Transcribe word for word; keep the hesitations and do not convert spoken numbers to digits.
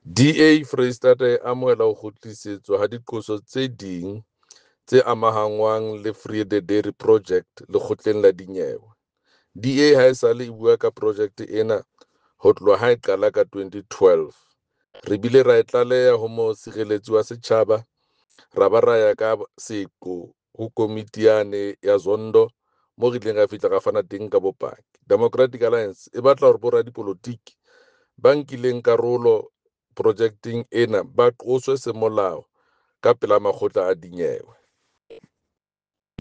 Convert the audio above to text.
D A Foreisetata e amohela ho kgutlisetswa ha diqoso tse ding tse amahanngwang le Vrede Dairy Project lekgotleng la dinyewe. D A haesale e bua ka projeke ena ho tloha ha e qala ka twenty twelve. Re bile ra e tlaleha ho Mosireletsi wa Setjhaba ra ba ra ya ka seqo ho komiti yane ya Zondo moo re ileng ra fihla ra fana teng ka bopaki. Democratic Alliance e batla hore boradipolotiki ba nkileng karolo projekeng ena ba qoswe semolao ka pela makgotla a dinyewe.